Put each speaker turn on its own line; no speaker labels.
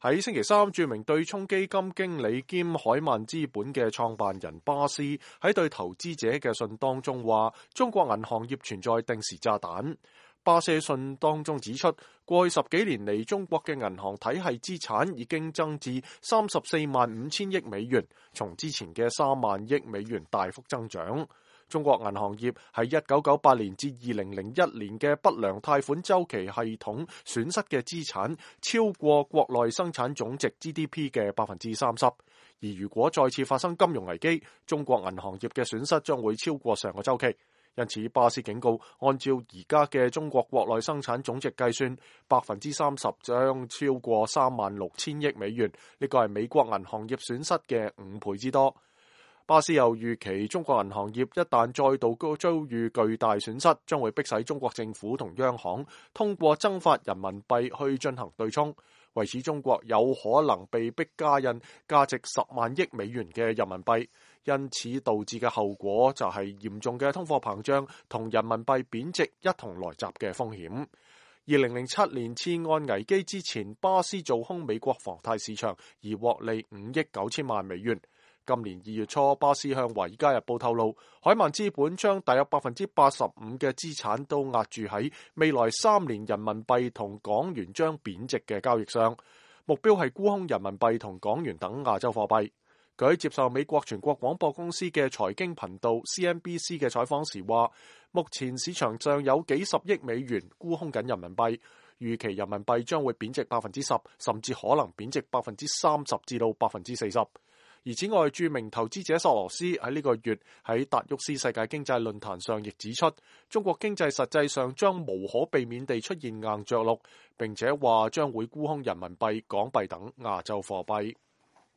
喺星期三，著名對沖基金經理兼海曼資本嘅創辦人巴斯喺對投資者嘅信當中話，中國銀行業存在定時炸彈。巴斯信當中指出，過去10幾年嚟，中國嘅銀行體系資產已經增至34萬5千億美元，從之前嘅3萬億美元大幅增長。中國銀行業喺1998年至2001年嘅不良貸款週期系統損失嘅資產超過國內生產總值 GDP 嘅30%，而如果再次發生金融危機，中國銀行業嘅損失將會超過上個週期。因此，巴斯警告，按照而家嘅中國國內生產總值計算，30%將超過3萬6千億美元，呢個係美國銀行業損失嘅5倍之多。巴斯又預期，中國銀行業一旦再度遭遇巨大損失，將會迫使中國政府同央行通過增發人民幣去進行對沖。為此，中國有可能被迫加印價值10萬億美元嘅人民幣，因此導致嘅後果就係嚴重嘅通貨膨脹同人民幣貶值一同來襲嘅風險。2007年次按危機之前，巴斯做空美國房貸市場而獲利5億9千萬美元。今年2月初，巴斯向《華爾街日報》透露，海曼資本將大約85%嘅資產都押注喺未來3年人民幣同港元將貶值嘅交易上，目標係沽空人民幣同港元等亞洲貨幣。佢喺接受美國全國廣播公司嘅財經頻道 CNBC 嘅採訪時話，目前市場上有幾十億美元沽空緊人民幣，預期人民幣將會貶值10%，甚至可能貶值30%至到40%。而此外，著名投資者索羅斯喺呢個月喺達沃斯世界經濟論壇上亦指出，中國經濟實際上將無可避免地出現硬着陸，並且話將會沽空人民幣、港幣等亞洲貨幣。